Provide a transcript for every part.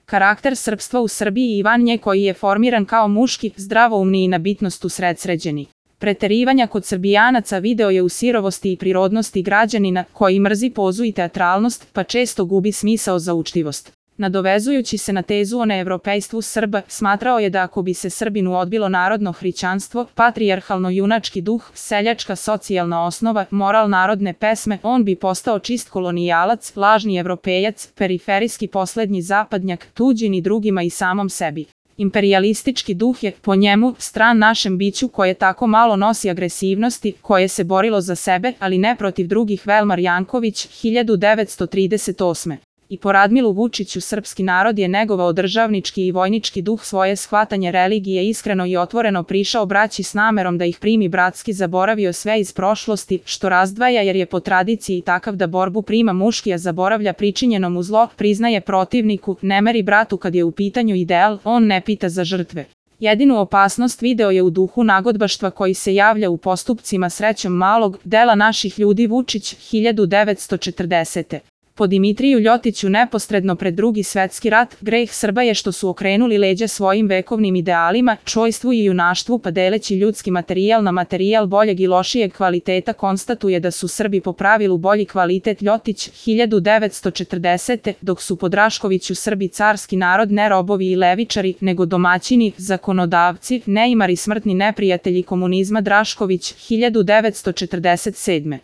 Karakter srpstva u Srbiji i van nje koji je formiran kao muški, zdravoumni i na bitnost usredsređeni. Preterivanja kod Srbijanaca video je u sirovosti i prirodnosti građanina koji mrzi pozu i teatralnost, pa često gubi smisao za učtivost. Nadovezujući se na tezu o neevropejstvu Srba, smatrao je da ako bi se Srbinu odbilo narodno hrišćanstvo, patrijarhalno-junački duh, seljačka socijalna osnova, moral narodne pesme, on bi postao čist kolonijalac, lažni evropejac, periferijski poslednji zapadnjak, tuđin i drugima i samom sebi. Imperialistički duh je, po njemu, stran našem biću koje tako malo nosi agresivnosti, koje se borilo za sebe, ali ne protiv drugih. Velmar Janković, 1938. I po Radmilu Vučiću srpski narod je negovao državnički i vojnički duh, svoje shvatanje religije iskreno i otvoreno prišao braći s namerom da ih primi bratski, zaboravio sve iz prošlosti, što razdvaja jer je po tradiciji takav da borbu prima muški, a zaboravlja pričinjeno mu zlo, priznaje protivniku, ne meri bratu kad je u pitanju ideal, on ne pita za žrtve. Jedinu opasnost video je u duhu nagodbaštva koji se javlja u postupcima Srećom Malog, dela Naših ljudi Vučić, 1940. Po Dimitriju Ljotiću neposredno pred Drugi svetski rat, greh Srba je što su okrenuli leđa svojim vekovnim idealima, čojstvu i junaštvu, pa deleći ljudski materijal na materijal boljeg i lošijeg kvaliteta konstatuje da su Srbi po pravilu bolji kvalitet. Ljotić, 1940. Dok su po Draškoviću Srbi carski narod, ne robovi i levičari, nego domaćini, zakonodavci, neimari, smrtni neprijatelji komunizma. Drašković, 1947.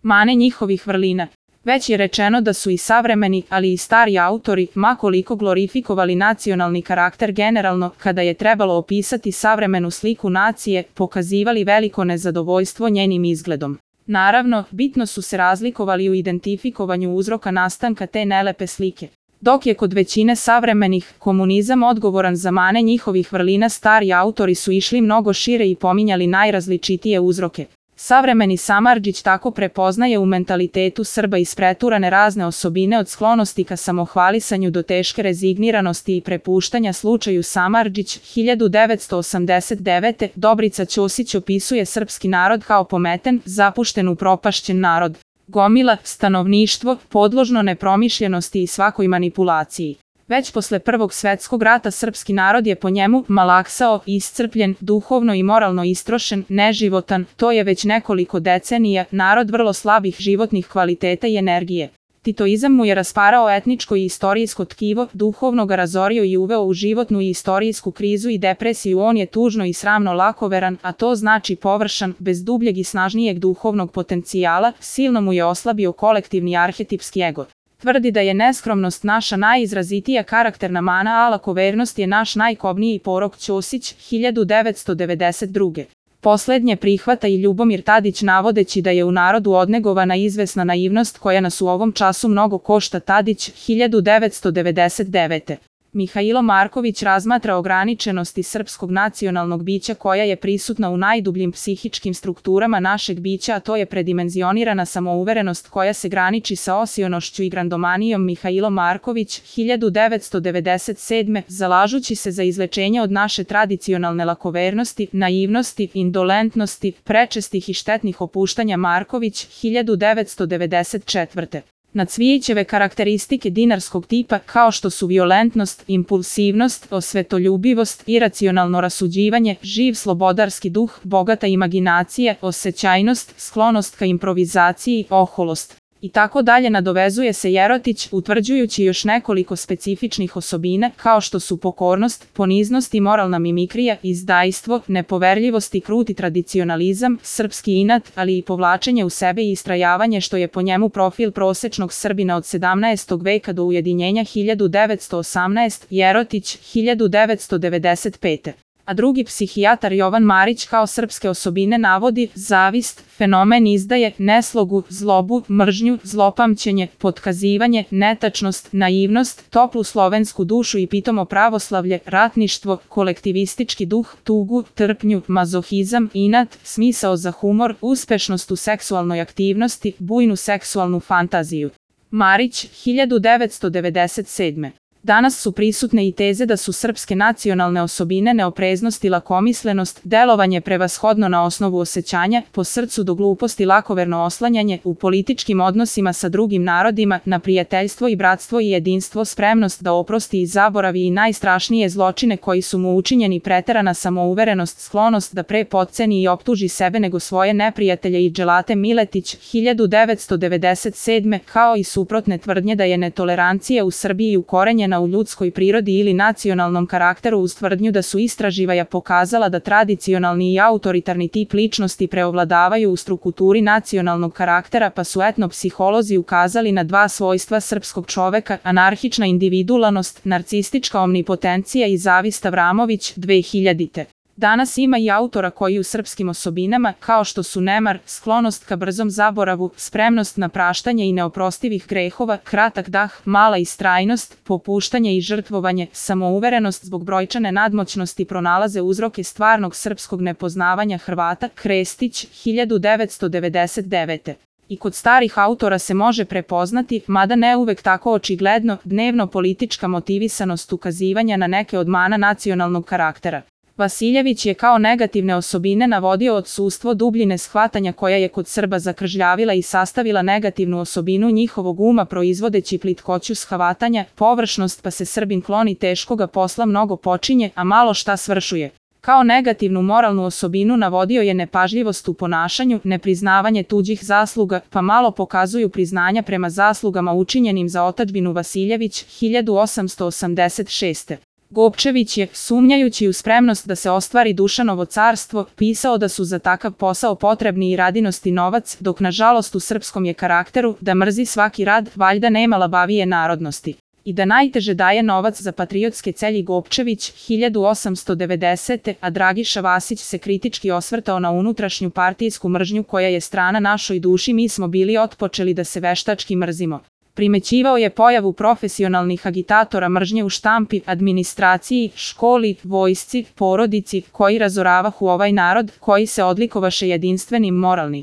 Mane njihovih vrlina. Već je rečeno da su i savremeni, ali i stari autori, ma koliko glorifikovali nacionalni karakter generalno, kada je trebalo opisati savremenu sliku nacije, pokazivali veliko nezadovoljstvo njenim izgledom. Naravno, bitno su se razlikovali u identifikovanju uzroka nastanka te nelepe slike. Dok je kod većine savremenih komunizam odgovoran za mane njihovih vrlina, stari autori su išli mnogo šire i pominjali najrazličitije uzroke. Savremeni Samardžić tako prepoznaje u mentalitetu Srba ispreturane razne osobine od sklonosti ka samohvalisanju do teške rezigniranosti i prepuštanja slučaju. Samardžić, 1989. Dobrica Ćosić opisuje srpski narod kao pometen, zapušten, upropašćen narod. Gomila, stanovništvo, podložno nepromišljenosti i svakoj manipulaciji. Već posle Prvog svetskog rata srpski narod je po njemu malaksao, iscrpljen, duhovno i moralno istrošen, neživotan, to je već nekoliko decenija, narod vrlo slabih životnih kvaliteta i energije. Titoizam mu je rasparao etničko i istorijsko tkivo, duhovno ga razorio i uveo u životnu i istorijsku krizu i depresiju. On je tužno i sramno lakoveran, a to znači površan, bez dubljeg i snažnijeg duhovnog potencijala, silno mu je oslabio kolektivni arhetipski ego. Tvrdi da je neskromnost naša najizrazitija karakterna mana, a lakovernost je naš najkobniji porok. Ćosić, 1992. Poslednje prihvata i Ljubomir Tadić navodeći da je u narodu odnegovana izvesna naivnost koja nas u ovom času mnogo košta. Tadić, 1999. Mihailo Marković razmatra ograničenosti srpskog nacionalnog bića koja je prisutna u najdubljim psihičkim strukturama našeg bića, a to je predimenzionirana samouverenost koja se graniči sa osionošću i grandomanijom. Mihailo Marković, 1997. Zalažući se za izlečenje od naše tradicionalne lakovernosti, naivnosti, indolentnosti, prečestih i štetnih opuštanja. Marković, 1994. Na Cvijićeve karakteristike dinarskog tipa, kao što su violentnost, impulsivnost, osvetoljubivost, iracionalno rasuđivanje, živ slobodarski duh, bogata imaginacija, osećajnost, sklonost ka improvizaciji, oholost. I tako dalje, nadovezuje se Jerotić, utvrđujući još nekoliko specifičnih osobina, kao što su pokornost, poniznost i moralna mimikrija, izdajstvo, nepoverljivost i kruti tradicionalizam, srpski inat, ali i povlačenje u sebe i istrajavanje, što je po njemu profil prosečnog Srbina od 17. veka do ujedinjenja 1918. Jerotić, 1995. A drugi psihijatar Jovan Marić kao srpske osobine navodi zavist, fenomen izdaje, neslogu, zlobu, mržnju, zlopamćenje, potkazivanje, netačnost, naivnost, toplu slovensku dušu i pitomo pravoslavlje, ratništvo, kolektivistički duh, tugu, trpnju, mazohizam, inat, smisao za humor, uspešnost u seksualnoj aktivnosti, bujnu seksualnu fantaziju. Marić, 1997. Danas su prisutne i teze da su srpske nacionalne osobine neopreznost i lakomislenost, delovanje prevashodno na osnovu osjećanja, po srcu do gluposti lakoverno oslanjanje u političkim odnosima sa drugim narodima, na prijateljstvo i bratstvo i jedinstvo, spremnost da oprosti i zaboravi i najstrašnije zločine koji su mu učinjeni, preterana samouverenost, sklonost da pre potceni i optuži sebe nego svoje neprijatelje i Dželate Miletić, 1997. kao i suprotne tvrdnje da je netolerancija u Srbiji ukorenjena u ljudskoj prirodi ili nacionalnom karakteru, uz tvrdnju da su istraživanja pokazala da tradicionalni i autoritarni tip ličnosti preovladavaju u strukturi nacionalnog karaktera, pa su etnopsiholozi ukazali na dva svojstva srpskog čoveka: anarhična individualnost, narcistička omnipotencija i zavist. Avramović, 2000. Danas ima i autora koji u srpskim osobinama, kao što su nemar, sklonost ka brzom zaboravu, spremnost na praštanje i neoprostivih grehova, kratak dah, mala istrajnost, popuštanje i žrtvovanje, samouverenost zbog brojčane nadmoćnosti pronalaze uzroke stvarnog srpskog nepoznavanja Hrvata. Krestić, 1999. I kod starih autora se može prepoznati, mada ne uvek tako očigledno, dnevno politička motivisanost ukazivanja na neke od mana nacionalnog karaktera. Vasiljević je kao negativne osobine navodio odsustvo dubljine shvatanja koja je kod Srba zakržljavila i sastavila negativnu osobinu njihovog uma, proizvodeći plitkoću shvatanja, površnost, pa se Srbin kloni teškoga posla, mnogo počinje, a malo šta svršuje. Kao negativnu moralnu osobinu navodio je nepažljivost u ponašanju, nepriznavanje tuđih zasluga, pa malo pokazuju priznanja prema zaslugama učinjenim za otadžbinu. Vasiljević, 1886. Gopčević je, sumnjajući u spremnost da se ostvari Dušanovo carstvo, pisao da su za takav posao potrebni i radinost i novac, dok nažalost u srpskom je karakteru da mrzi svaki rad, valjda nema labavije narodnosti. I da najteže daje novac za patriotske celji. Gopčević, 1890. A Dragiša Vasić se kritički osvrtao na unutrašnju partijsku mržnju koja je strana našoj duši. Mi smo bili otpočeli da se veštački mrzimo. Primećivao je pojavu profesionalnih agitatora mržnje u štampi, administraciji, školi, vojsci, porodici, koji razoravahu ovaj narod, koji se odlikovaše jedinstvenim moralni